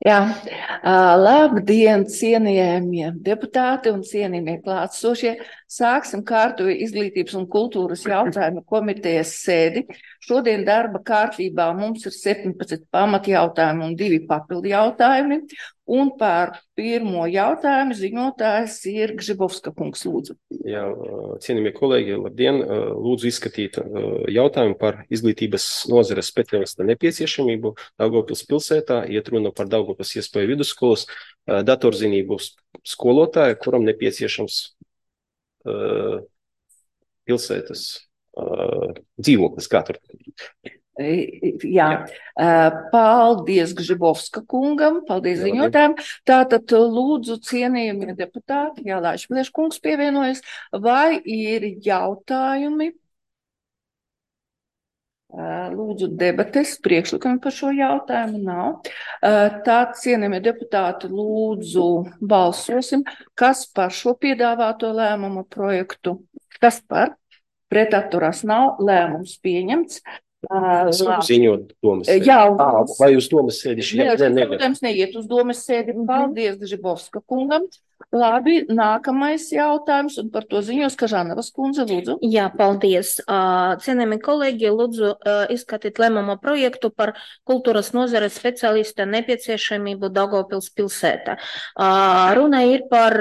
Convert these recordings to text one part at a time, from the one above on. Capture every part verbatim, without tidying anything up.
Jā, uh, labdien, cienījamie deputāti un cienījamie klātsošie. Sāksim kārtoju izglītības un kultūras jautājumu komitejas sēdi. Šodien darba kārtībā mums ir septiņpadsmit pamatjautājumi un divi papildu jautājumi. Un par pirmo jautājumu ziņotājs ir Gžibovska kungs, lūdzu. Jā, cienījamie kolēģi, labdien! Lūdzu izskatīt jautājumu par izglītības nozares speciālista nepieciešamību Daugavpils pilsētā. Iet runa par Daugavpils iespēju vidusskolas datorzinību skolotāju, kuram nepieciešams uh, pilsētas uh, dzīvoklis. Kā tur? Jā, paldies Gžibovska kungam, paldies Jā, ziņotājiem. Tātad lūdzu cienījamie deputāti, Jālaiš Pleš kungs pievienojas, vai ir jautājumi? Lūdzu debates, priekšlikumi par šo jautājumu nav. Tātad cienījamie deputāti, lūdzu balsosim, kas par šo piedāvāto lēmumu projektu, kas par pretatturās nav, lēmums pieņemts. Es varu ziņot domas sēdi. Jā, un... Vai uz domas sēdi? Ne, ne, ne, protams, neiet uz domas sēdi. Paldies Gžibovska kungam. Labi, nākamais jautājums, un par to ziņos Kažanovas kundze, lūdzu. Jā, paldies. Cienējami kolēģi, lūdzu izskatīt lēmumu projektu par kultūras nozares speciālista nepieciešamību Daugavpils pilsētā. Runa ir par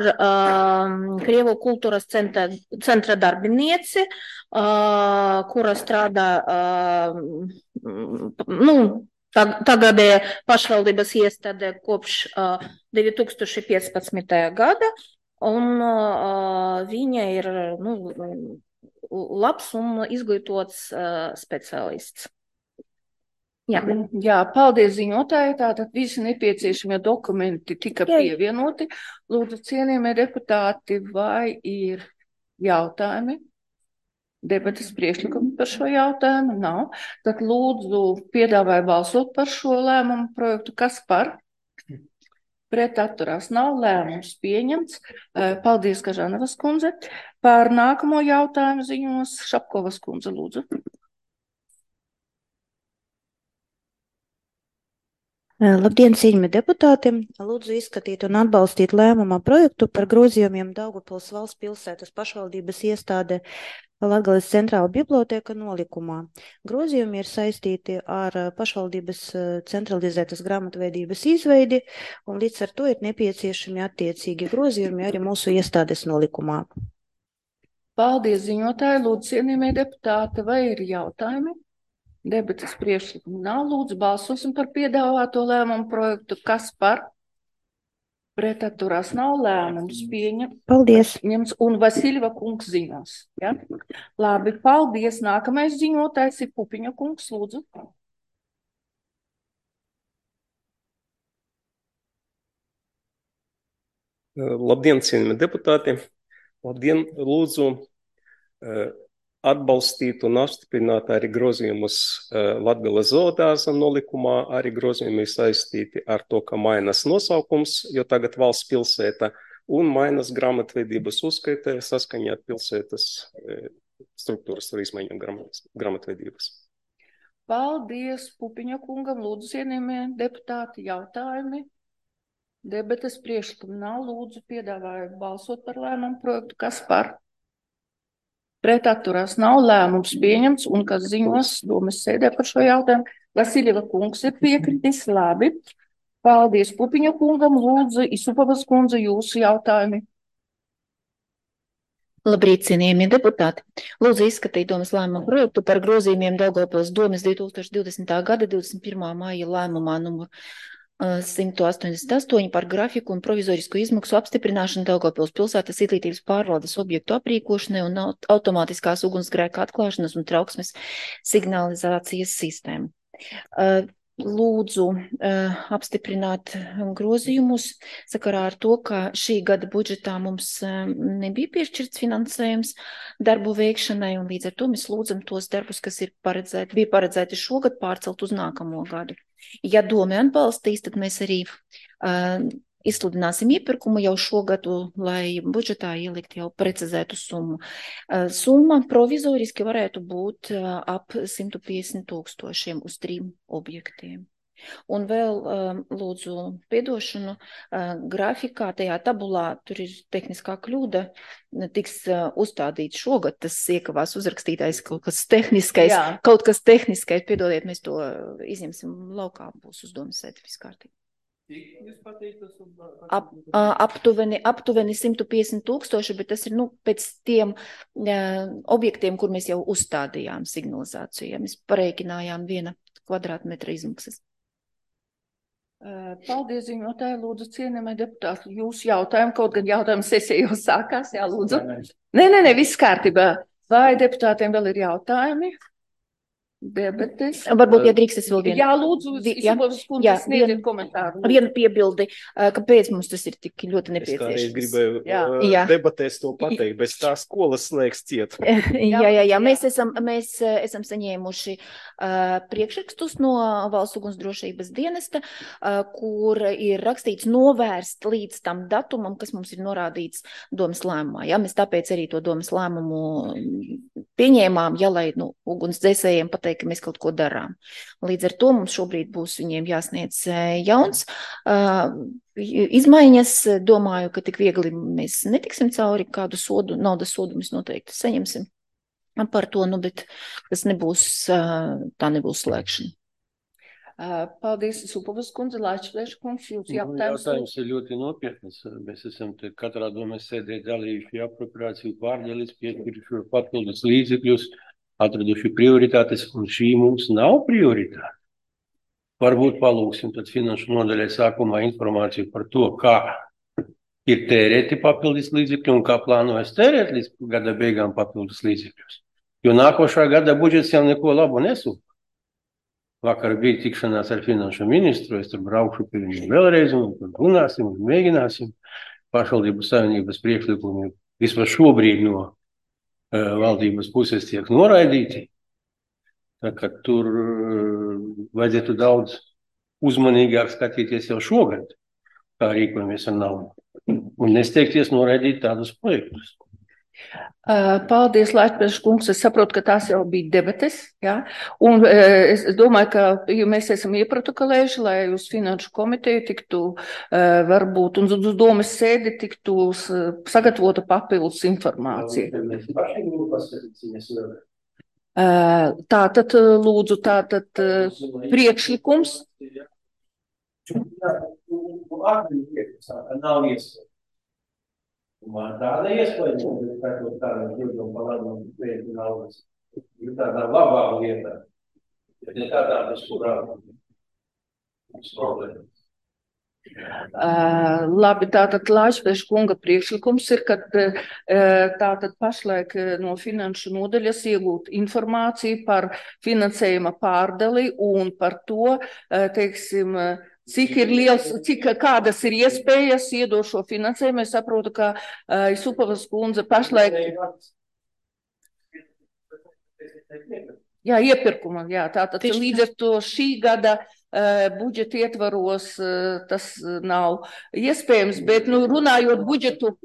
Krievu kultūras centra, centra darbinieci, kura strādā, nu, tagadēja pašvaldības iestādē kopš uh, divi tūkstoši piecpadsmitajā gada, un uh, viņa ir nu, labs un izglītots uh, speciālists. Jā. Jā, paldies ziņotāji. Tātad visi nepieciešamie dokumenti tika Jā. pievienoti. Lūdzu, cienījamie deputāti, vai ir jautājumi? Debates priekšlikumi par šo jautājumu nav. Tad lūdzu piedāvāju balsot par šo lēmumu projektu. Kas par? Pret atturās nav, lēmums pieņemts. Paldies, Kažanovas kundze. Par nākamo jautājumu ziņos Šapkovas kundze, lūdzu. Labdien, cienījamie deputāti! Lūdzu izskatīt un atbalstīt lēmuma projektu par grozījumiem Daugavpils valsts pilsētas pašvaldības iestāde Latgales centrāla biblioteka nolikumā. Grozījumi ir saistīti ar pašvaldības centralizētas grāmatvedības izveidi, un līdz ar to ir nepieciešami attiecīgi grozījumi arī mūsu iestādes nolikumā. Paldies, ziņotāji! Lūdzu, cienījamie deputāti, vai ir jautājumi? Debates priekšlikumu nav. Lūdzu, balsosim par piedāvāto lēmumu projektu. Kas par? Pretatturās nav, lēmums pieņem. Paldies. Ņems un Vasiļeva kungs ziņos. Ja? Labi, paldies. Nākamais ziņotājs ir Pupiņa kungs, lūdzu. Labdien, cienījamie deputāti. Labdien, lūdzu atbalstīt un apstiprināt arī grozījumus Latgales zoodārza nolikumā, arī grozījumi saistīti ar to, ka mainas nosaukums, jo tagad valsts pilsēta, un mainas grāmatvedības uzskaitē saskaņā ar pilsētas struktūras ar izmaiņām grāmatvedības. Paldies Pupiņa kungam, lūdzu, cienījamie deputāti, jautājumi. Debates priekšlikumu nav, lūdzu, piedāvāju balsot par lēmumu projektu. Kas par? Pret atturās nav, lēmums pieņemts, un kas ziņos domas sēdē par šo jautājumu. Vasiļeva kungs ir piekritis, labi. Paldies Pupiņa kungam, lūdzu, Isupavas kundze, jūsu jautājumi. Labrīt, cienījamie deputāti! Lūdzu izskatīt domas lēmumu projektu par grozījumiem Daugavpils domas divi tūkstoši divdesmitā gada divdesmit pirmā māja lēmumā numur simt astoņdesmit astoņi par grafiku un provizorisku izmaksu apstiprināšanu Daugavpils pilsētas izglītības pārvaldes objektu aprīkošanai un automātiskās ugunsgrēka atklāšanas un trauksmes signalizācijas sistēmu. Lūdzu apstiprināt grozījumus sakarā ar to, ka šī gada budžetā mums nebija piešķirts finansējums darbu veikšanai, un līdz ar to mēs lūdzam tos darbus, kas ir paredzēti, bija paredzēti šogad, pārcelt uz nākamo gadu. Ja doma atbalstīs, tad mēs arī uh, izsludināsim iepirkumu jau šogadu, lai budžetā ielikt jau precizētu summu. Uh, summa provizoriski varētu būt uh, ap simt piecdesmit tūkstošiem uz trim objektiem. Un vēl um, lūdzu piedošanu uh, grafikā, tajā tabulā, tur ir tehniskā kļūda, tiks uh, uzstādīts šogad, tas iekavās uzrakstītais kaut kas tehniskais, Jā. kaut kas tehniskais, piedodiet, mēs to izņemsim laukā, būs uzdomas sētifis kārtīgi. Ap, uh, aptuveni, aptuveni simt piecdesmit tūkstoši, bet tas ir, nu, pēc tiem uh, objektiem, kur mēs jau uzstādījām signalizāciju, ja mēs pareikinājām viena kvadrātmetra izmaksas. Paldies, ziņotāji, lūdzu, cienījamie deputāti, jūsu jautājumu, kaut gan jautājumu sesija jau sākās, jā, lūdzu. Nē, nē, nē, viss kārtībā. Vai deputātiem vēl ir jautājumi? Debates. Varbūt, ja drīkst, es vēl vienu. Jā, lūdzu, Jā, Isabels kundze, sniedziet komentāru. Vienu piebildi, kāpēc mums tas ir tik ļoti Es nepieciešams. kādreiz gribēju Jā. uh, Jā. debatēs to pateikt, bez tā skolas slēgs ciet. Jā, jā, jā. Mēs esam, mēs eh, esam saņēmuši uh, priekšrakstus no Valsts ugunsdrošības dienesta, uh, kur ir rakstīts novērst līdz tam datumam, kas mums ir norādīts domas lēmumā. Jā, mēs tāpēc arī to domas lēmumu pieņēmām, ja lai nu, ugunsdzēsējiem pateikt, ka mēs kaut ko darām. Līdz ar to mums šobrīd būs viņiem jāsniedz eh, jauns uh, izmaiņas. Domāju, ka tik viegli mēs netiksim cauri, kādu sodu, naudas sodu mēs noteikti saņemsim par to, nu, bet tas nebūs, tā nebūs slēgšana. Paldies, Supovas kundze, Laičplēša kungs, jūs jautājums. Jautājums ir ļoti nopietnas. Mēs esam te katrā domē sēdē dalījuši apropriāciju pārdelis, piešķiruši papildus līdzekļus, atraduši prioritātes, un šī mums nav prioritāte. Varbūt palūksim tad finanšu nodaļai sākumā informāciju par to, kā ir tērēti papildus līdzekļi un kā plānojas tērēt līdz gada beigām papildus līdzekļus. Jo nākošā gada budžets jau neko labu nesūta. Vakar bija tikšanās ar finanšu ministru, es tur braukšu pie viņu vēlreiz un tur runāsim un mēģināsim. Pašvaldību savienības priekšlikumi vismaz šobrīd no uh, valdības puses tiek noraidīti. Tā kā tur uh, vajadzētu daudz uzmanīgāk skatīties jau šogad, kā rīkojamies ar naudu. Un nesteigties noraidīt tādus projektus. Paldies, Laičplēša kungs. Es saprotu, ka tās jau bija debates, jā. Un es domāju, ka mēs esam ieprotokolējuši, lai uz finanšu komiteju tiktu varbūt un uz domas sēdi tiktu sagatavota papildus informācija. Tātad, lūdzu, tātad priekšlikums. Nav iespēja. Man tāda iespēja, ka tāda jūtuma palāduma pēc naudas ir tādā labā lietā, bet ne tādā, bez kurā mums problēma. Uh, labi, tātad Laičplēša kunga priekšlikums ir, ka uh, tātad pašlaik no finanšu nodaļas iegūt informāciju par finansējuma pārdali un par to, uh, teiksim, cik ir liels, cik kādas ir iespējas iedot šo finansējumu. Es saprotu, ka uh, Supovas kundze pašlaik. Jā, iepirkuma, jā, tātad līdz ar to šī gada uh, budžeta ietvaros uh, tas nav iespējams, bet, nu, runājot budžetu.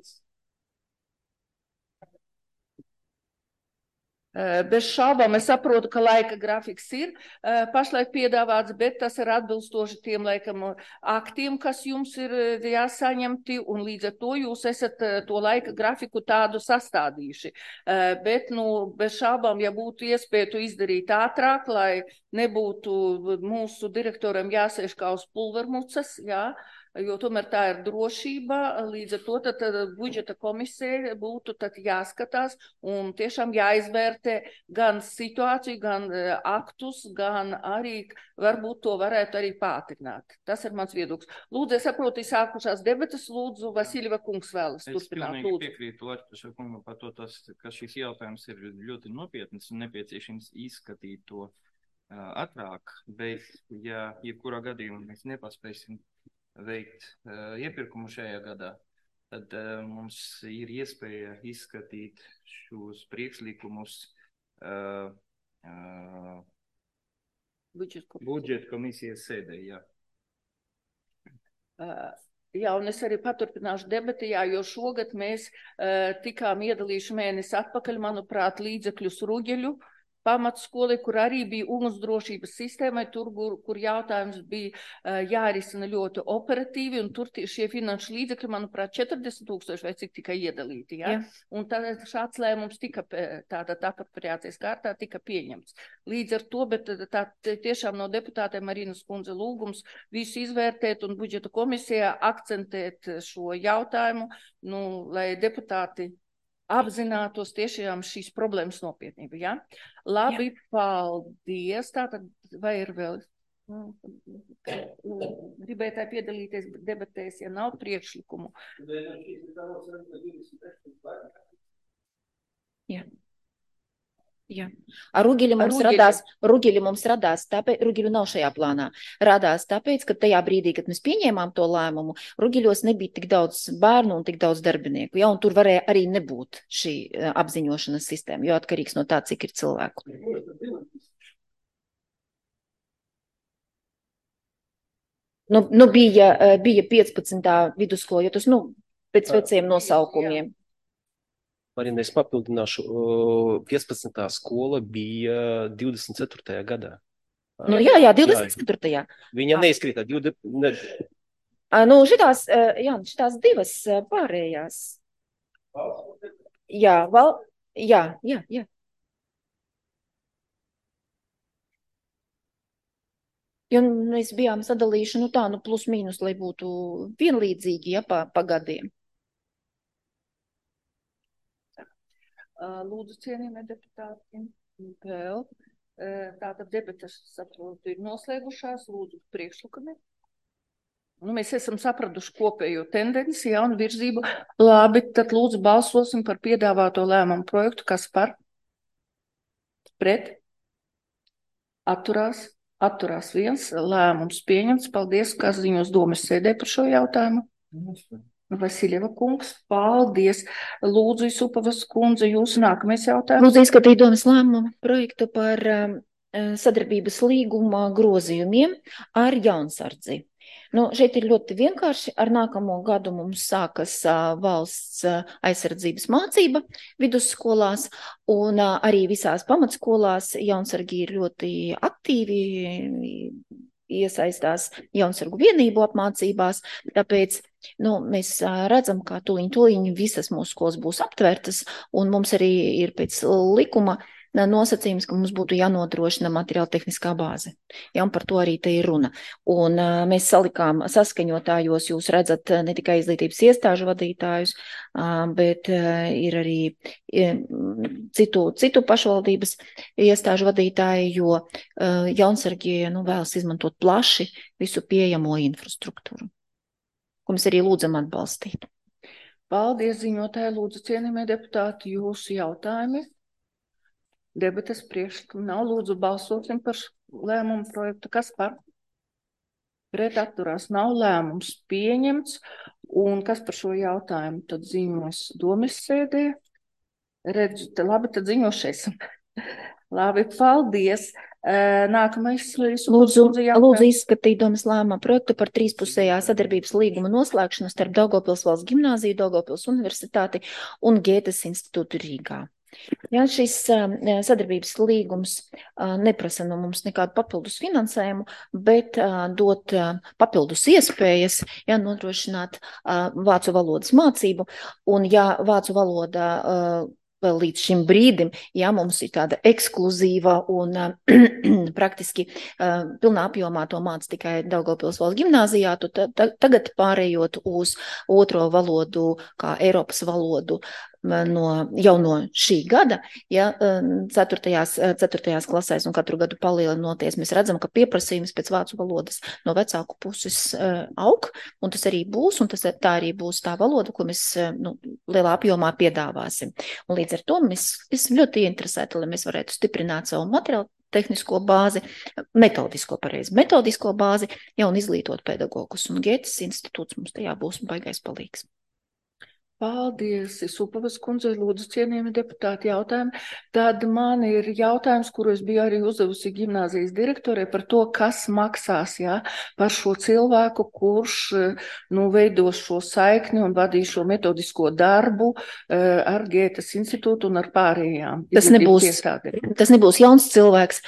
Bez šaubām es saprotu, ka laika grafiks ir pašlaik piedāvāts, bet tas ir atbilstoši tiem laikam aktiem, kas jums ir jāsaņemti, un līdz ar to jūs esat to laika grafiku tādu sastādījuši. Bet, nu, bez šaubām, ja būtu iespēja to izdarīt ātrāk, lai nebūtu mūsu direktoram jāsēž kā uz pulvermucas, jā, jo tomēr tā ir drošība, līdz ar to tad, tad budžeta komisija būtu tad jāskatās un tiešām jāizvērtē gan situāciju, gan aktus, gan arī varbūt to varētu arī pātrināt. Tas ir mans viedoklis. Lūdzu, es saprotu, sākušās debatas, lūdzu, Vasiljeva kungs vēlas turpināt. Es pilnīgi piekrītu Laičplēša kungam par to, tas, ka šis jautājums ir ļoti nopietns un nepieciešams izskatīt to uh, ātrāk, bet ja jebkurā gadījumā mēs nepaspēsim veikt uh, iepirkumu šajā gadā, tad uh, mums ir iespēja izskatīt šos priekšlikumus uh, uh, budžeta komisijas sēdē, jā. Uh, jā, un es arī paturpināšu debati, jā, jo šogad mēs uh, tikām iedalījuši mēnesi atpakaļ, manuprāt, līdzekļus Ruģeļu pamatskoli, kur arī bija ugunsdrošības sistēmai, tur, kur, kur jautājums bija uh, jārisina ļoti operatīvi, un tur tie, šie finanšu līdzekļi, manuprāt, četrdesmit tūkstoši vai cik tikai iedalīti. Ja? Jā. Un tā, šāds lēmums tika, tāda apropriācijas kārtā tika pieņemts. Līdz ar to, bet tā tiešām no deputātiem Marinas kundze lūgums visu izvērtēt un budžeta komisijā akcentēt šo jautājumu, nu, lai deputāti apzinātos tiešām šīs problēmas nopietnību, ja? Labi, jā. Paldies. Tātad, vai ir vēl gribētāji piedalīties debatēs, ja nav priekšlikumu? Jā. Jā. Ar Rugiļu mums Rugiļu. radās, Rugiļu mums radās, tāpēc, Rugiļu nav šajā plānā, radās tāpēc, ka tajā brīdī, kad mēs pieņēmām to lēmumu, Rugiļos nebija tik daudz bērnu un tik daudz darbinieku, ja, un tur varēja arī nebūt šī apziņošanas sistēma, jo atkarīgs no tā, cik ir cilvēku. Nu, nu bija, bija piecpadsmitā vidusskola, jo tas, nu, pēc veciem nosaukumiem. Marina, es papildināšu, piecpadsmitā skola bija divdesmit ceturtajā gadā. Nu jā, jā, divdesmit ceturtajā. Viņa neizkrītā. divdesmit... Ne... Nu, šitās, jā, šitās divas pārējās. Jā, val... jā, jā, jā. Jo mēs bijām sadalījuši, nu tā, nu plus mīnus, lai būtu vienlīdzīgi, ja, pa, pa gadiem. Lūdzu, cienījamie deputāti, vēl. Tātad debatas, saprotu, ir noslēgušās. Lūdzu, priekšlikumi. Nu, mēs esam sapratuši kopējo tendenci, ja, un virzību. Labi, tad lūdzu balsosim par piedāvāto lēmumu projektu. Kas par? Pret? Atturās? Atturās viens. Lēmums pieņemts. Paldies, kas ziņos domas sēdē par šo jautājumu. Vasiljeva kungs, paldies. Lūdzu, Isupavas kundze, jūsu nākamais jautājums. Lūdzu, izskatīt domas lēmumu projektu par um, sadarbības līguma grozījumiem ar Jaunsardzi. Nu, šeit ir ļoti vienkārši. Ar nākamo gadu mums sākas uh, valsts uh, aizsardzības mācība vidusskolās, un uh, arī visās pamatskolās Jaunsargi ir ļoti aktīvi iesaistās Jaunsargu vienību apmācībās, tāpēc nu, mēs redzam, ka tuliņ tuliņ visas mūsu skolas būs aptvērtas, un mums arī ir pēc likuma nosacījums, ka mums būtu jānodrošina materiāla tehniskā bāze. Ja, un par to arī te ir runa. Un uh, mēs salikām saskaņotājos, jūs redzat ne tikai izglītības iestāžu vadītājus, uh, bet uh, ir arī uh, citu, citu pašvaldības iestāžu vadītāji, jo uh, Jaunsargie nu, vēlas izmantot plaši visu pieejamo infrastruktūru, ko mēs arī lūdzam atbalstīt. Paldies, ziņotāji, lūdzu, cienījamie deputāti, jūsu jautājumi. Debates priekšlikumi nav. Lūdzu, balsosim par lēmumu projektu. Kas par? Pret atturās nav. Lēmums pieņemts. Un kas par šo jautājumu tad ziņos domas sēdē? Redzu, te labi, tad ziņošais. Labi, paldies. Nākamais. Lūdzu, lūdzu izskatīt domas lēmuma projektu par trīspusējā sadarbības līguma noslēgšanu starp Daugavpils valsts gimnāziju, Daugavpils universitāti un Gētes institūtu Rīgā. Ja, šis uh, sadarbības līgums uh, neprasa no mums nekādu papildus finansējumu, bet uh, dot uh, papildus iespējas, ja, nodrošināt uh, vācu valodas mācību, un ja vācu valoda uh, vēl līdz šim brīdim, ja mums ir tāda ekskluzīva un uh, praktiski uh, pilnā apjomā to māca tikai Daugavpils valsts gimnāzijā, tu ta, ta, tagad pārējot uz otro valodu kā Eiropas valodu, No, jau no šī gada, ja, ceturtajās, ceturtajās klasēs un katru gadu palielinoties, mēs redzam, ka pieprasījums pēc vācu valodas no vecāku puses uh, aug, un tas arī būs, un tas, tā arī būs tā valoda, ko mēs nu, lielā apjomā piedāvāsim. Un līdz ar to mēs esam ļoti interesēti, lai mēs varētu stiprināt savu materiālu tehnisko bāzi, metodisko pareizi, metodisko bāzi, ja, un izglītot pedagogus, un Gētes institūts mums tajā būs baigais palīgs. Paldies, Supavas kundze, lūdzu, cienījami deputāti jautājumi. Tad man ir jautājums, kuru es biju arī uzdevusi gimnāzijas direktorē par to, kas maksās, jā, par šo cilvēku, kurš, nu, veidos šo saikni un vadīs šo metodisko darbu ar Gētas institūtu un ar pārējām. Tas nebūs, tas nebūs jauns cilvēks.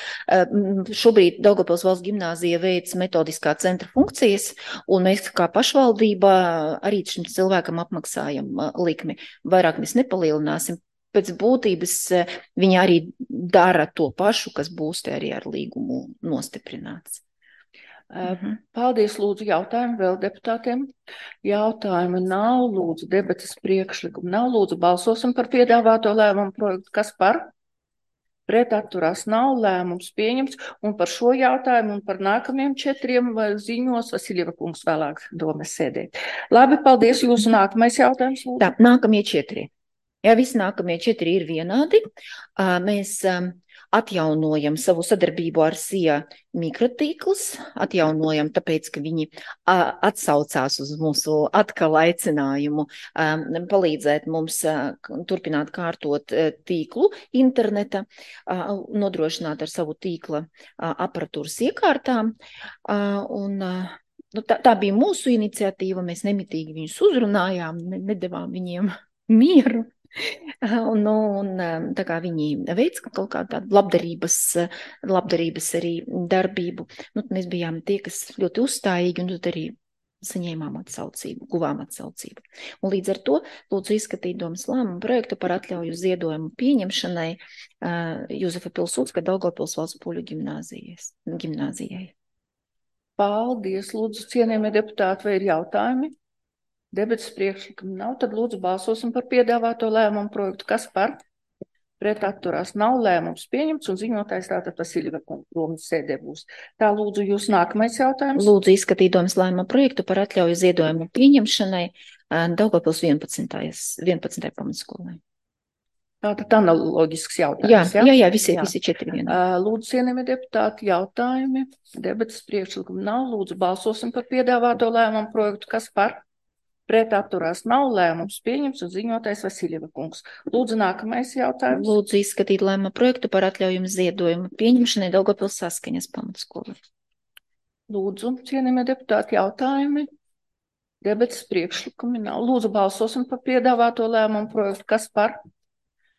Šobrīd Daugavpils valsts gimnāzija veic metodiskā centra funkcijas, un mēs kā pašvaldība arī šim cilvēkam apmaksājam likmi. Vairāk mēs nepalielināsim. Pēc būtības viņi arī dara to pašu, kas būs te arī ar līgumu nostiprināts. Mhm. Paldies, lūdzu, jautājumu vēl deputātiem. Jautājumi nav, lūdzu, debates priekšlikumu nav, lūdzu, balsosim par piedāvāto lēmumu projektu. Kas par? Pret atturās nav, lēmums pieņemts, un par šo jautājumu un par nākamiem četriem ziņos Vasiljeva kungs vēlāk domas sēdē. Labi, paldies, jūsu nākamais jautājums. Lūdzu. Tā, nākamie četri. Jā, visi nākamie četri ir vienādi. Mēs atjaunojam savu sadarbību ar S I A mikrotīklus, atjaunojam tāpēc, ka viņi atsaucās uz mūsu atkal aicinājumu palīdzēt mums turpināt kārtot tīklu interneta, nodrošināt ar savu tīkla aparatūras iekārtām. Un, nu, tā, tā bija mūsu iniciatīva, mēs nemitīgi viņus uzrunājām, nedevām viņiem mieru. Un, un tā kā viņi veic kaut kādu tādu labdarības, labdarības arī darbību, nu, mēs bijām tie, kas ļoti uzstājīgi un tad arī saņēmām atsaucību, guvām atsaucību. Un līdz ar to lūdzu izskatīt domas lēmumu projektu par atļauju ziedojumu pieņemšanai uh, Juzefa Pilsudska Daugavpils valsts poļu gimnāzijai. Paldies, lūdzu, cienījamie deputāti, vai ir jautājumi? Debates priekšlikumi nav, tad lūdzu balsosim par piedāvāto lēmumu projektu. Kas par? Pret atturās nav, lēmums pieņemts un ziņotājs tātad Vasiljeva kungs sēdē būs. Tā lūdzu jūs nākamais jautājums. Lūdzu izskatīt domas lēmumu projektu par atļauju ziedojumu pieņemšanai Daugavpils vienpadsmitajai pamatskolai. Tātad analoģisks jautājums. Jā, jā, jā, visi, jā. visi četri vienā. Lūdzu, cienījamie deputāti, jautājumi. Debates priekšlikumi nav. Lūdzu balsosim par piedāvāto lēmumu projektu. Kas par? Pret atturās nav, lēmums pieņems un ziņotājs Vasiljeva kungs. Lūdzu, nākamais jautājums. Lūdzu izskatīt lēmumu projektu par atļaujumu ziedojumu pieņemšanai Daugavpils Saskaņas pamatskolai. Lūdzu, cienījamie deputāti, jautājumi. Debates priekšlikumi nav. Lūdzu, balsosim par piedāvāto lēmumu projektu. Kas par?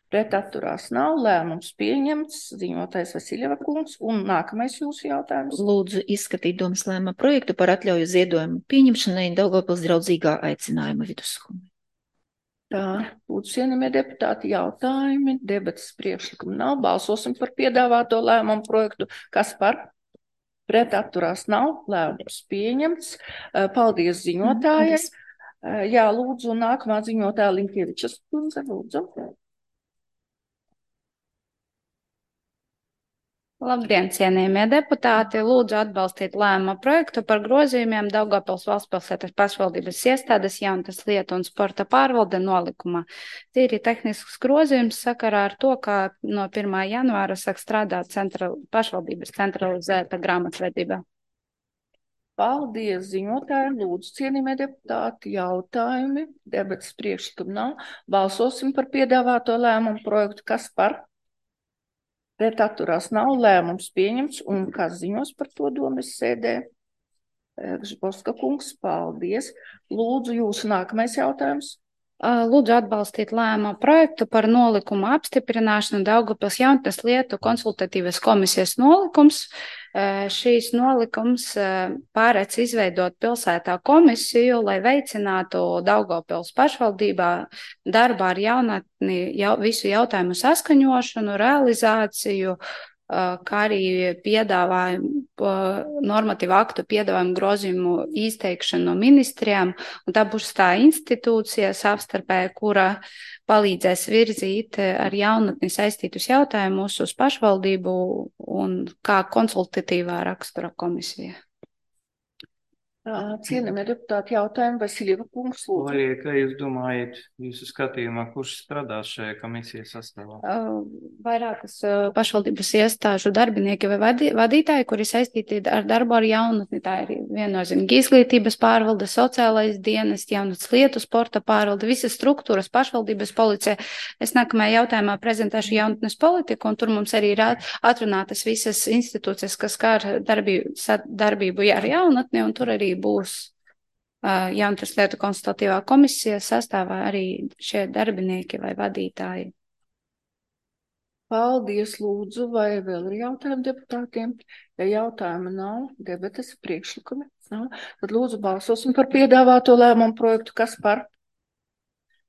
Pret atturās nav, lēmums pieņemts, ziņotājs Vasiljeva kungs, un nākamais jūsu jautājums. Lūdzu izskatīt domas lēmumu projektu par atļauju ziedojumu pieņemšanai Daugavpils draudzīgā aicinājuma vidusskolai. Tā, lūdzu, cienījamie deputāti, jautājumi, debates priekšlikumi nav, balsosim par piedāvāto lēmumu projektu. Kas par? Pret atturās nav, lēmums pieņemts. Paldies ziņotājai. Jā, lūdzu, nākamā ziņotāja Linkievičas kundze, lūdzu. Labdien, cienījamie deputāti! Lūdzu atbalstīt lēmuma projektu par grozījumiem Daugavpils valstspilsētas pašvaldības iestādes jaunas lietu un sporta pārvalde nolikumā. Tīri tehnisks grozījums sakarā ar to, ka no pirmā janvāra sāk strādāt centra, pašvaldības centralizēta grāmatvedība. Paldies, ziņotāji, lūdzu, cienījamie deputāti, jautājumi, debates priekšlikumi nav. Balsosim par piedāvāto lēmumu projektu. Kas par? Pret atturās nav, lēmums pieņemts, un kas ziņos par to domas sēdē? Žboska kungs, paldies. Lūdzu, jūsu nākamais jautājums. Lūdzu atbalstīt lēmumu projektu par nolikumu apstiprināšanu Daugavpils jaunatnes lietu konsultatīvas komisijas nolikums. Šīs nolikums pārēc izveidot pilsētā komisiju, lai veicinātu Daugavpils pašvaldībā darbā ar jaunatni jau, visu jautājumu saskaņošanu, realizāciju, kā arī piedāvājumu normatīvu aktu piedāvājumu grozījumu izteikšanu no ministrijām, un tā būs tā institūcija savstarpēji, kura palīdzēs virzīt ar jaunatni saistītus jautājumus uz pašvaldību un kā konsultatīvā rakstura komisija. Cienījamie deputāti, jautājumu Vasiljeva kungs, lūdzu. Vai, kā jūs domājat, jūsu skatījumā, kurš strādās šajā komisijas sastāvā? Vairākas pašvaldības iestāžu darbinieki vai vadi, vadītāji, kuri saistīti ar darbu ar jaunatni. Tā ir viennozīmīgi izglītības pārvalde, sociālais dienas, jaunatnes lietu, sporta pārvalde, visas struktūras, pašvaldības policija. Es nākamajā jautājumā prezentēšu jaunatnes politiku, un tur mums arī ir atrunātas visas institūcijas, kas skar darbību, darbību ar jaunatni, un tur arī būs uh, jaunatnes lietu konsultatīvā komisija sastāvā arī šie darbinieki vai vadītāji. Paldies, lūdzu, vai vēl ir jautājumi deputātiem? Ja jautājuma nav, debates, priekšlikumi nav, tad lūdzu balsosim par piedāvāto lēmumu projektu, kas par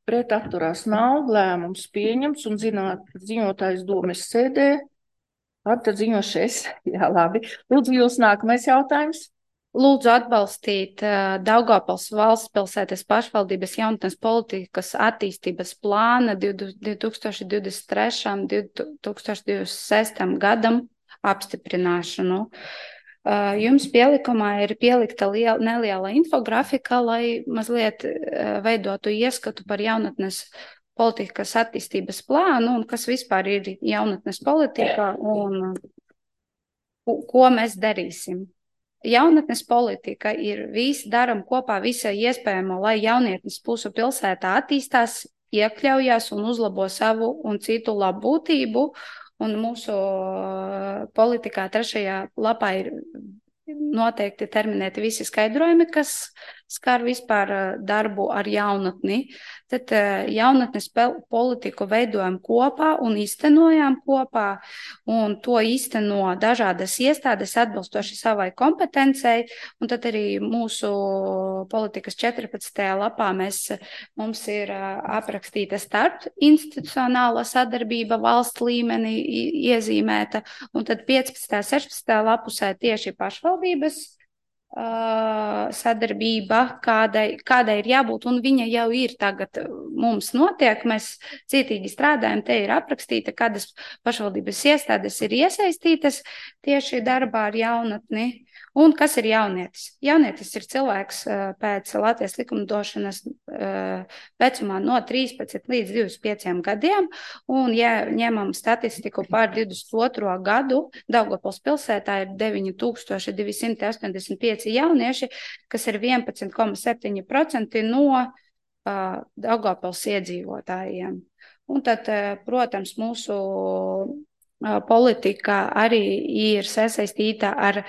pret atturās nav, lēmums pieņems un zināt, ziņotājs domes sēdē, tad ziņošies, jā, labi. Lūdzu, jūs nākamais jautājums. Lūdzu atbalstīt uh, Daugavpils valsts pilsētas pašvaldības jaunatnes politikas attīstības plāna divi tūkstoši divdesmit trešajam un divi tūkstoši divdesmit sestajam gadam apstiprināšanu. Uh, jums pielikumā ir pielikta liela, neliela infografika, lai mazliet uh, veidotu ieskatu par jaunatnes politikas attīstības plānu un kas vispār ir jaunatnes politika un uh, ko mēs darīsim. Jaunatnes politika ir visi daram kopā visai iespējamo, lai jaunietnes mūsu pilsētā attīstās, iekļaujās un uzlabo savu un citu labbūtību. Un mūsu politikā trešajā lapā ir noteikti terminēti visi skaidrojumi, kas skar vispār darbu ar jaunatni. Tad jaunatnes politiku veidojam kopā un īstenojām kopā, un to īsteno dažādas iestādes atbilstoši savai kompetencei, un tad arī mūsu politikas četrpadsmitajā lapā mēs, mums ir aprakstīta starp institucionāla sadarbība valsts līmenī iezīmēta, un tad piecpadsmitajā, sešpadsmitajā lapusē tieši pašvaldības sadarbība, kādai, kādai ir jābūt, un viņa jau ir tagad mums notiek, mēs cītīgi strādājam, te ir aprakstīta, kādas pašvaldības iestādes ir iesaistītas tieši darbā ar jaunatni, un kas ir jaunietis. Jaunietis ir cilvēks pēc Latvijas likumdošanas vecumā no trīspadsmit līdz divdesmit pieciem gadiem, un ja ņemam statistiku par divdesmit otro gadu, Daugavpils pilsētā ir deviņi tūkstoši divi simti astoņdesmit pieci jaunieši, kas ir vienpadsmit komats septiņi procenti no uh, Daugavpils iedzīvotājiem. Un tad, uh, protams, mūsu uh, politika arī ir sasaistīta ar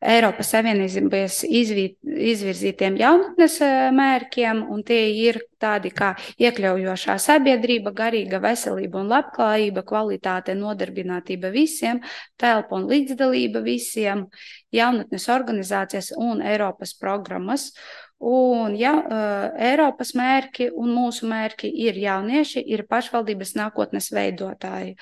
Eiropas Savienības izvirzītiem jaunatnes mērķiem, un tie ir tādi kā iekļaujošā sabiedrība, garīga veselība un labklājība, kvalitāte, nodarbinātība visiem, telpa un līdzdalība visiem, jaunatnes organizācijas un Eiropas programmas. Un ja, Eiropas mērķi un mūsu mērķi ir jaunieši, ir pašvaldības nākotnes veidotāji.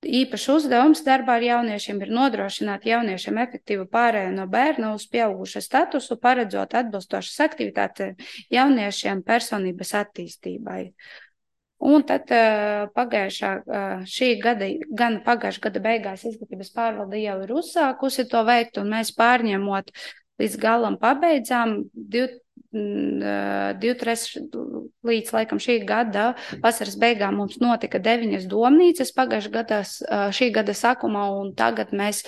Īpašs uzdevums darbā ar jauniešiem ir nodrošināt jauniešiem efektīvu pārēju no bērna uz pieauguša statusu, paredzot atbilstošas aktivitātes jauniešiem personības attīstībai. Un tad pagājušā šī gada, gan pagājušā gada beigās izglītības pārvalde jau ir uzsākusi to veikt, un mēs pārņemot līdz galam pabeidzām divu trešdaļu līdz laikam šī gada vasaras beigām mums notika deviņas domnīcas pagājušā gada, šī gada sākumā, un tagad mēs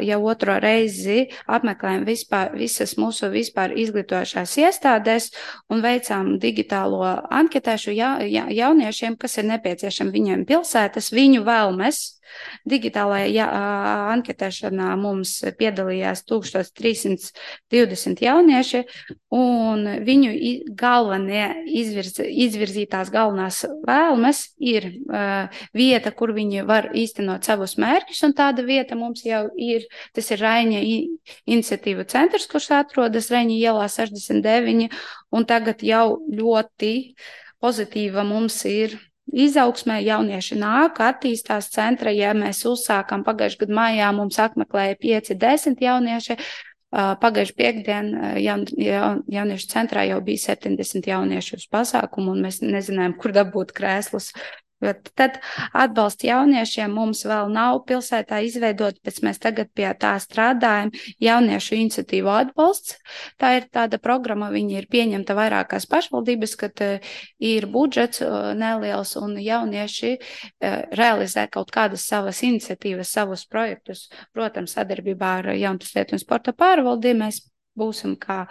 jau otro reizi apmeklējam vispār, visas mūsu vispār izglītojošās iestādēs un veicām digitālo anketēšu ja, ja, jauniešiem, kas ir nepieciešami viņiem pilsētas, viņu vēlmes. Digitālajā ja, anketēšanā mums piedalījās tūkstoš trīs simt divdesmit jaunieši, un viņu galvenie izvirz, izvirzītās galvenās vēlmes ir uh, vieta, kur viņi var īstenot savus mērķus, un tāda vieta mums jau ir, tas ir Raiņa iniciatīva centrs, kurš atrodas Raiņa ielā sešdesmit deviņi, un tagad jau ļoti pozitīva mums ir izaugsmē, jaunieši nāk, attīstās centra, ja mēs uzsākam pagājušajā gadu maijā, mums apmeklēja pieci desmit jaunieši, pagājušajā piekdien jaun, jaun, jauniešu centrā jau bija septiņdesmit jaunieši uz pasākumu, un mēs nezinājām, kur dabūt krēslus Tad atbalsta jauniešiem mums vēl nav pilsētā izveidot, bet mēs tagad pie tā strādājam. Jauniešu iniciatīvu atbalsts. Tā ir tāda programma, viņa ir pieņemta vairākās pašvaldības, kad ir budžets neliels un jaunieši realizē kaut kādas savas iniciatīvas, savus projektus. Protams, sadarbībā ar Jaunatnes lietu un sporta pārvaldi mēs būsim kā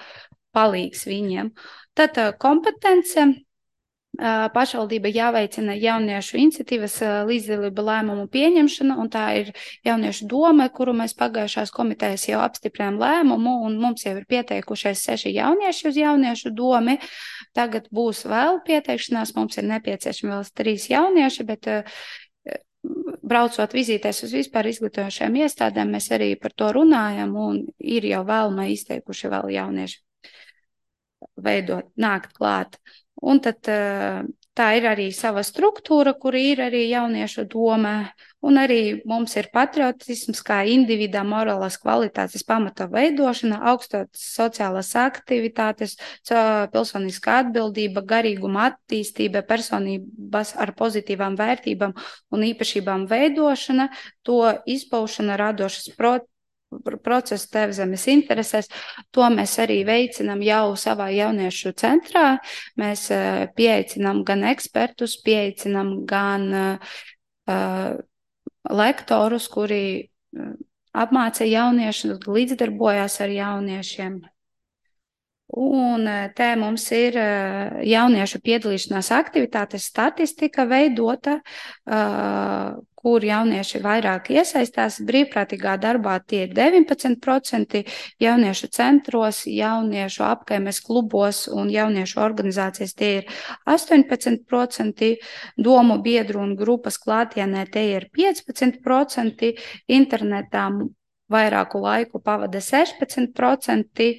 palīgs viņiem. Tad kompetence. Pašvaldība jāveicina jauniešu iniciatīvas līdzdalība lēmumu pieņemšana, un tā ir jauniešu doma, kuru mēs pagājušās komitejas jau apstiprinām lēmumu, un mums jau ir pieteikušies seši jaunieši uz jauniešu domi. Tagad būs vēl pieteikšanās, mums ir nepieciešami vēl trīs jaunieši, bet braucot vizītēs uz vispār izglītojošajām iestādēm, mēs arī par to runājam, un ir jau vēlmē izteikuši vēl jaunieši veidot, nākt klāt. Un tad tā ir arī sava struktūra, kur ir arī jauniešu doma, un arī mums ir patriotisms kā individā morālās kvalitātes pamata veidošana, augstas sociālās aktivitātes, pilsoniskā atbildība, garīguma attīstība, personības ar pozitīvām vērtībām un īpašībām veidošana, to izpaušana radošas procesus, procesu tev zemes interesēs. To mēs arī veicinām jau savā jauniešu centrā. Mēs uh, pieaicinām gan ekspertus, pieaicinām gan uh, lektorus, kuri uh, apmāca jauniešus, līdzdarbojās ar jauniešiem. Un te mums ir uh, jauniešu piedalīšanās aktivitātes statistika veidota, uh, kur jaunieši vairāk iesaistās. Brīvprātīgā darbā tie ir deviņpadsmit procenti, jauniešu centros, jauniešu apkaimes klubos un jauniešu organizācijas tie ir astoņpadsmit procenti, domu biedru un grupas klātienē tie ir piecpadsmit procenti, internetā vairāku laiku pavada sešpadsmit procenti,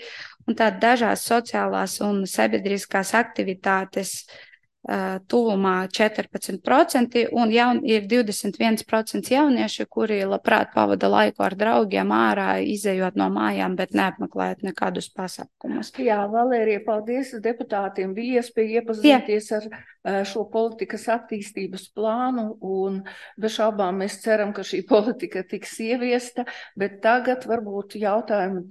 un tāda dažās sociālās un sabiedriskās aktivitātes uh, tuvumā četrpadsmit procenti, un jaun, ir divdesmit viens procents jaunieši, kuri labprāt pavada laiku ar draugiem ārā, izejot no mājām, bet neapmeklējot nekādus pasākumus. Jā, Valērija, paldies deputātiem. Bija iespēja iepazīties Jā. ar šo politikas attīstības plānu, un bez šaubām mēs ceram, ka šī politika tiks ieviesta, bet tagad varbūt jautājumu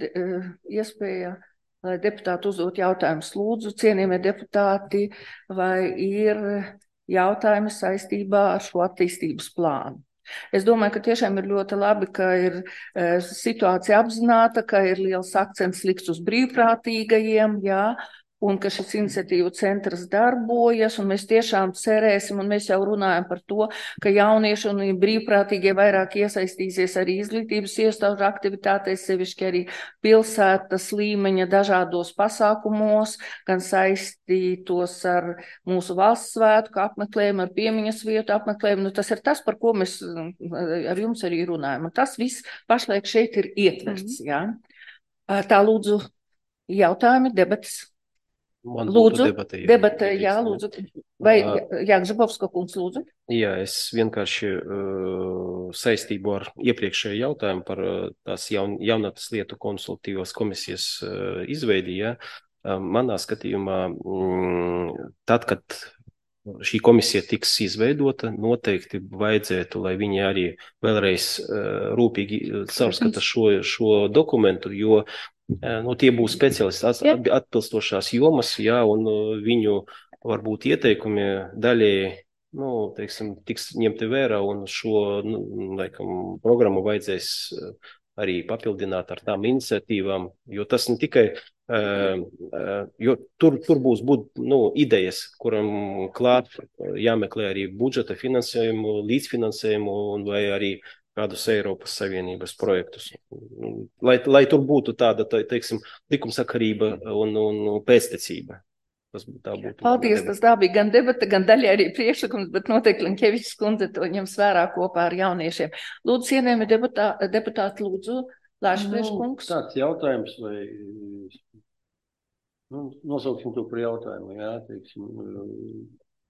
iespēja, lai deputāti uzdot jautājumus. Lūdzu, cienījamie deputāti, vai ir jautājumi saistībā ar šo attīstības plānu? Es domāju, ka tiešām ir ļoti labi, ka ir e, situācija apzināta, ka ir liels akcents likts uz brīvprātīgajiem, jā, un ka šis iniciatīvu centrs darbojas, un mēs tiešām cerēsim, un mēs jau runājam par to, ka jaunieši un brīvprātīgie vairāk iesaistīsies arī izglītības iestāžu aktivitātēs, sevišķi arī pilsētas līmeņa dažādos pasākumos, gan saistītos ar mūsu valsts svētku apmeklējumu, ar piemiņas vietu apmeklējumu. Nu, tas ir tas, par ko mēs ar jums arī runājam. Un tas viss pašlaik šeit ir ietverts. Mm-hmm. Jā. Tā lūdzu jautājumi, debatas. Man lūdzu, debata, jā, debata, jā, lūdzu. Vai Jāgžabovska kungs, lūdzu? Jā, es vienkārši uh, saistību ar iepriekšēju jautājumu par uh, tās jaun, jaunatnes lietu konsultatīvās komisijas uh, izveidi, jā. Uh, manā skatījumā, mm, tad, kad šī komisija tiks izveidota, noteikti vajadzētu, lai viņi arī vēlreiz uh, rūpīgi caurskata šo, šo dokumentu, jo nu, tie būs speciālisti atbilstošās jomas, jā, un viņu varbūt ieteikumi daļēji, nu, teiksim, tiks ņemti vērā, un šo, nu, laikam, programmu vajadzēs arī papildināt ar tām iniciatīvām, jo tas ne tikai, jo tur, tur būs būt, nu, idejas, kuram klāt jāmeklē arī budžeta finansējumu, līdzfinansējumu, un vai arī kādus Eiropas Savienības projektus. Lai, lai tur būtu tāda, tā, teiksim, likumsakarība un, un pēctecība. Tas, tā būtu. Paldies, tas tā bija gan debata, gan daļai arī priekšlikums, bet noteikti Linkevičs kundze to ņems vērā kopā ar jauniešiem. Lūdzu, cienējami deputā, deputāti, lūdzu, Lāšprieš kungs. Nu, tāds jautājums, vai, nu, nosauksim to par jautājumu, jā, teiksim,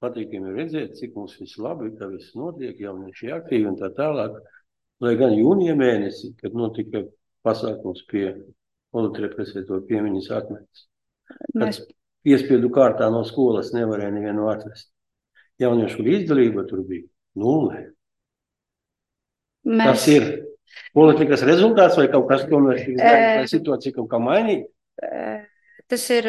patīkami redzēt, cik mums viss labi, ka viss notiek, jaunieši aktīvi un tā tālāk. Lai gan jūnija mēnesi, kad notika pasākums pie politrepresēto piemiņas atmetas, kad Mēs... piespiedu kārtā no skolas nevarēja nevienu atvest. jauniešu līdzdalība tur bija nulle. Mēs... Tas ir politikas rezultāts vai kaut kas tomēr ir izdarīts, vai situācija kaut kā mainīt? Tas ir,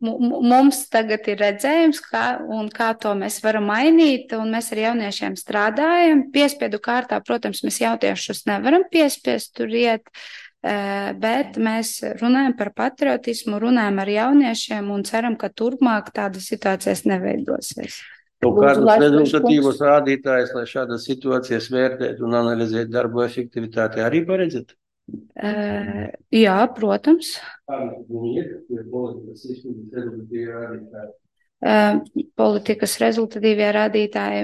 mums tagad ir redzējums, kā, un kā to mēs varam mainīt, un mēs ar jauniešiem strādājam. Piespiedu kārtā, protams, mēs jauniešus nevaram piespiest tur iet, bet mēs runājam par patriotismu, runājam ar jauniešiem un ceram, ka turpmāk tādas situācijas neveidosies. Kaut kādus rezultatīvus rādītājus, lai šādas situācijas vērtēt un analizēt darbu efektivitāti, arī paredzēt? Uh, jā, protams. Uh, politikas rezultatīvie rādītāji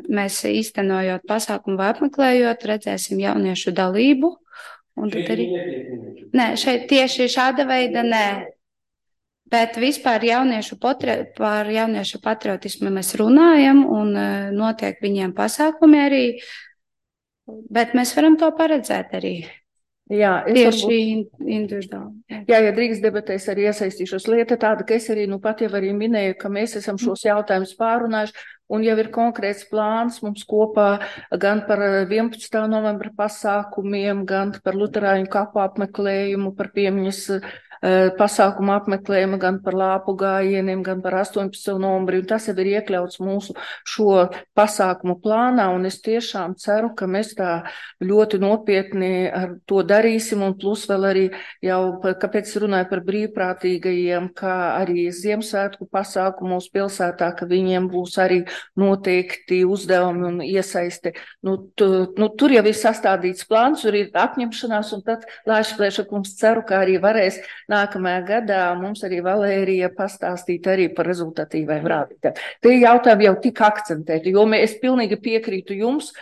mēs īstenojot pasākumu vai apmeklējot, redzēsim jauniešu dalību. Un tad arī... Nē, šeit tieši šāda veida nē. Bet vispār jauniešu potri... par jauniešu patriotismu mēs runājam un uh, notiek viņiem pasākumi arī, bet mēs varam to paredzēt arī. Jā, es tieši varbūt... individuāli. Jā, ja drīkst debatēs arī iesaistīšos. Lieta tāda, ka es arī nu pat jau arī minēju, ka mēs esam šos jautājumus pārunājuši un jau ir konkrēts plāns mums kopā gan par vienpadsmitā novembra pasākumiem, gan par luterāņu kapu apmeklējumu, par piemiņas pasākumu apmeklējumu, gan par lāpu gājieniem, gan par astoņpadsmito novembri, un tas jau ir iekļauts mūsu šo pasākumu plānā, un es tiešām ceru, ka mēs tā ļoti nopietni ar to darīsim, un plus vēl arī jau, kāpēc runāju par brīvprātīgajiem, kā arī Ziemassvētku pasākumos pilsētā, ka viņiem būs arī noteikti uzdevumi un iesaiste. Nu, tu, nu, tur jau ir sastādīts plāns, tur ir apņemšanās, un tad Lāša Plēšakums ceru, ka arī varēs nākamajā gadā mums arī Valērija pastāstīt arī par rezultatīviem rādītājiem. Te jautājumi jau tik akcentēti, jo mēs pilnīgi piekrītu jums,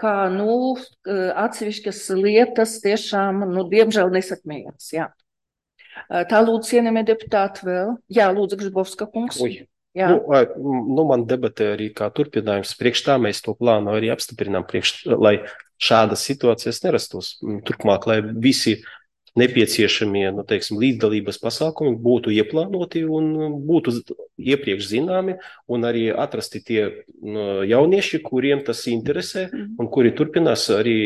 ka, nu, atsevišķas lietas tiešām, nu, diemžēl nesakmējās, jā. Tā lūdzu, cienījamie deputāti vēl. Jā, lūdzu, Gržbovska kungs. Uj. Jā. Nu, nu, man debatē arī kā turpinājums. Priekš tā mēs to plānu arī apstiprinām, priekš, lai šādas situācijas nerastos. Turpmāk, lai visi nepieciešamie, nu, teiksim, līdzdalības pasākumi būtu ieplānoti un būtu iepriekš zināmi un arī atrasti tie nu, jaunieši, kuriem tas interesē un kuri turpinās arī,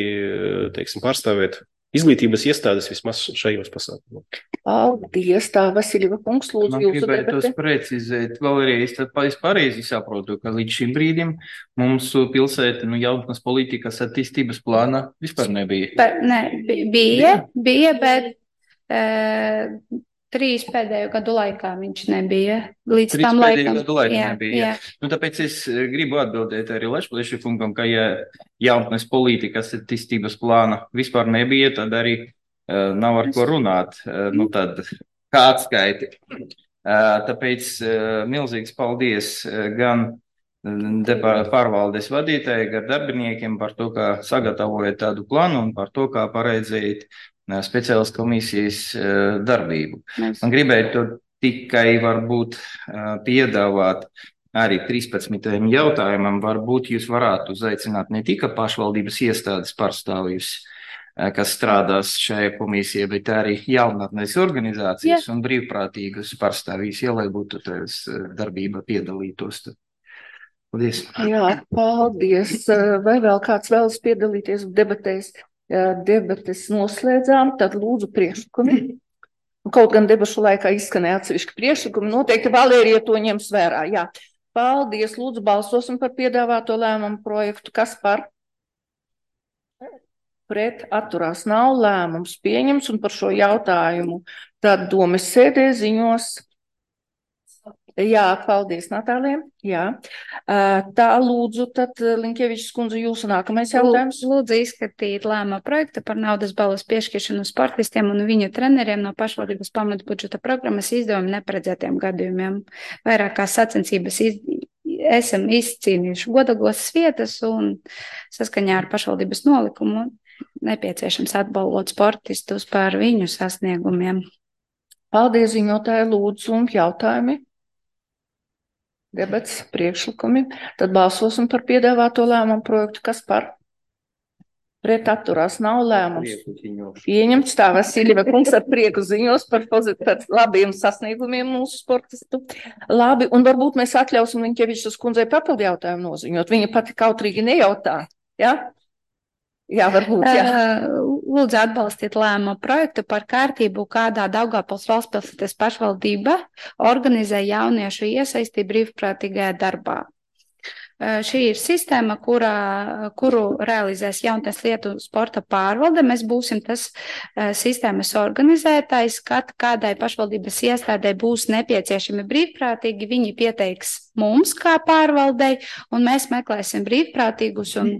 teiksim, pārstāvēt izglītības iestādes vismaz šajos pasākumos. Paldies, tā Vasiljeva kungs, lūdzu, Man jūsu gribētu debati. precizēt, vēlreiz, tad es pareizi saprotu, ka līdz šim brīdim mums pilsēta, nu, jaunatnes politikas attīstības plāna vispār nebija. Pa, ne, bija, bija, bet e, trīs pēdējo gadu laikā viņš nebija. Līdz Trīs tam pēdējo laikam. gadu laikā jā, nebija. jā. Nu, tāpēc es gribu atbildēt arī Lešplieša kungam, ka ja jaunatnes politikas attīstības plāna vispār nebija, tad arī uh, nav ar ko runāt. Uh, nu, tad kā atskaiti. Uh, tāpēc uh, milzīgs paldies uh, gan pārvaldes vadītāji, gan darbiniekiem par to, kā sagatavojat tādu plānu un par to, kā paredzējat uh, speciālas komisijas uh, darbību. Mēs... Man gribētu tikai varbūt uh, piedāvāt arī trīspadsmitajam jautājumam, varbūt jūs varētu uzaicināt ne tikai pašvaldības iestādes pārstāvjus, uh, kas strādās šajā komisijā, bet arī jaunatnes organizācijas yeah. un brīvprātīgus pārstāvjus, ja lai būtu tās darbība piedalītos. Paldies. Jā, paldies. Vai vēl kāds vēlas piedalīties debatēs? Debates noslēdzām, tad lūdzu priekšlikumi. Kaut gan debašu laikā izskanēja atsevišķi priekšlikumi, noteikti Valērija to ņems vērā. Jā. Paldies, lūdzu balsosim par piedāvāto lēmumu projektu. Kas par? Pret atturās nav, lēmums pieņems, un par šo jautājumu tad domes sēdē ziņos. Jā, paldies, Natālija. Jā. Tā lūdzu, tad Linkevičs kundze, jūsu nākamais jautājums. Lūdzu izskatīt lēmuma projektu par naudas balvas piešķiršanu sportistiem un viņu treneriem no pašvaldības pamata budžeta programmas izdevumu neparedzētiem gadījumiem. Vairākās sacensības iz... esam izcīnījuši godalgosas vietas un saskaņā ar pašvaldības nolikumu nepieciešams atbalvot sportistus par viņu sasniegumiem. Paldies, ziņotāji, lūdzu, un jautājumi. Debats, priekšlikumi. Tad balsosim par piedāvāto lēmumu projektu. Kas par? pret atturās nav lēmums pieņemts. Tā Vasiljeva kungs ar prieku ziņos par, par labiem sasniegumiem mūsu sportistu. Labi, un varbūt mēs atļausim Liņķevičas kundzei papildu jautājumu noziņot. Viņa pati kautrīgi nejautā, ja? Jā, varbūt, jā. Lūdzu atbalstiet lēmumu projektu par kārtību, kādā Daugavpils valstspilsētas pašvaldība organizē jauniešu iesaisti brīvprātīgajā darbā. Šī ir sistēma, kurā, kuru realizēs jaunatnes lietu sporta pārvalde. Mēs būsim tas sistēmas organizētājs, kad kādai pašvaldības iestādē būs nepieciešami brīvprātīgi, viņi pieteiks mums kā pārvaldei, un mēs meklēsim brīvprātīgus, un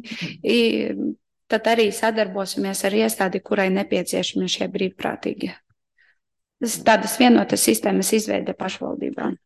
tad arī sadarbosimies ar iestādi, kurai nepieciešami šie brīvprātīgi. Tādas vienotas sistēmas izveide pašvaldībām.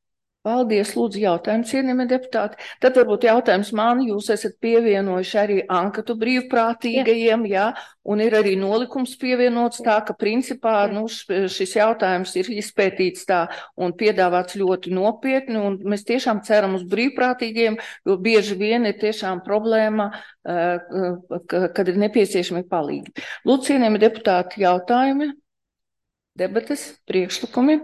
Paldies, lūdzu, jautājumu, cienījamie deputāti. Tad varbūt jautājums man, jūs esat pievienojuši arī ankatu brīvprātīgajiem, jā, un ir arī nolikums pievienots tā, ka principā nu, šis jautājums ir izpētīts tā un piedāvāts ļoti nopietni, un mēs tiešām ceram uz brīvprātīgiem, jo bieži vien ir tiešām problēma, kad ir nepieciešami palīgi. Lūdzu, cienījamie deputāti, jautājumi. Debates, priekšlikumi.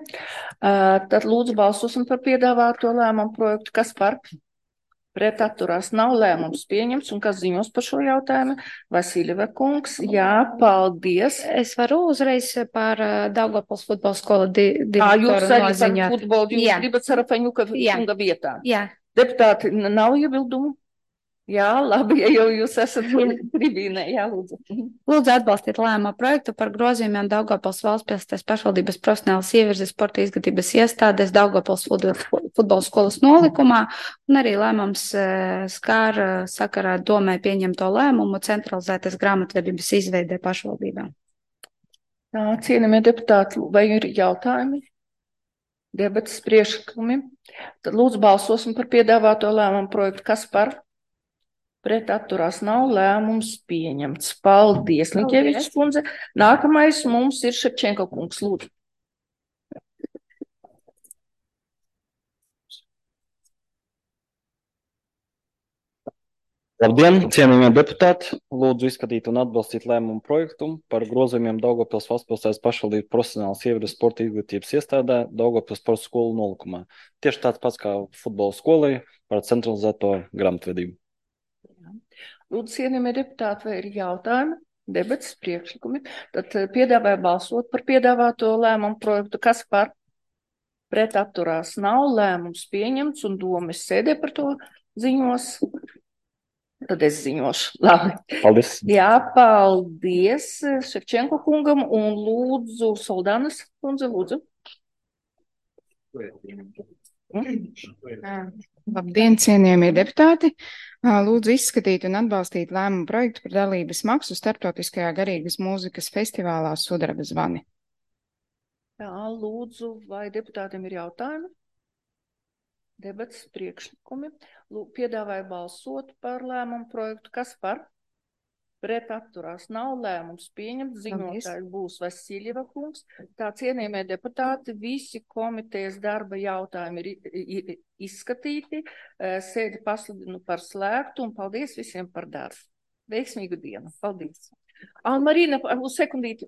Tad lūdzu balsosim par piedāvāto lēmumu projektu. Kas par? Pret atturās nav lēmums pieņemts. Un kas ziņos par šo jautājumu? Vasiljeva kungs. Jā, paldies. Es varu uzreiz par Daugavpils futbola skolu di direktoru noziņot. Jūs arī par futbolu, jūs Jā. gribat Sarafaņuka kunga vietā. Jā. Deputāti, nav iebildumu? Jā, labi, ja jau jūs esat tribīnē, jā, lūdzu. Lūdzu atbalstiet lēmumu projektu par grozījumiem Daugavpils valstspilsētas pašvaldības profesionālas ievirzes sporta izglītības iestādes Daugavpils futbola skolas nolikumā, un arī lēmums skār sakarā domē pieņemto lēmumu centralizētas grāmatvedības izveidē pašvaldībām. Tā, cienījamie deputāti, vai ir jautājumi? Debates, priekšlikumi? Tad lūdzu balsosim par piedāvāto lēmumu projektu. Kas par? Pret atturās nav lēmums pieņemts. Paldies, Liņķevičs kundze. Nākamais mums ir Ševčenko kungs, lūdzu. Labdien, cienījamie deputāti! Lūdzu izskatīt un atbalstīt lēmumu projektu par grozījumiem Daugavpils valstspilsētas pašvaldības profesionālas ievirzes sporta izglītības iestādē Daugavpils sporta skolu nolikumā. Tieši tāds pats kā futbola skolai par centralizēto grāmatvedību. Lūdzu, cienījamie deputāti, vai ir jautājumi, debates, priekšlikumi? Tad piedāvāju balsot par piedāvāto lēmumu projektu. Kas par? Pret atturās nav lēmums pieņemts, un domas sēdē par to ziņos. Tad es ziņošu. Labi. Paldies. Jā, paldies Ševčenko kungam, un lūdzu Soldanas kundze, lūdzu. Labdien, cienījamie deputāti! Lūdzu izskatīt un atbalstīt lēmumu projektu par dalības maksu starptautiskajā garīgas mūzikas festivālā Sudraba zvani. Jā, lūdzu, vai deputātiem ir jautājumi? Debats, priekšlikumi. Lūdzu, piedāvāju balsot par lēmumu projektu. Kas par? Pret atturās nav lēmums pieņemts. Ziņotājs būs Vasiljeva kungs. Tā, cienījamie deputāti, visi komitejas darba jautājumi ir izskatīti. Sēdi pasludinu par slēgtu, un paldies visiem par darbu. Veiksmīgu dienu. Paldies. Almarīna, uz sekundīti.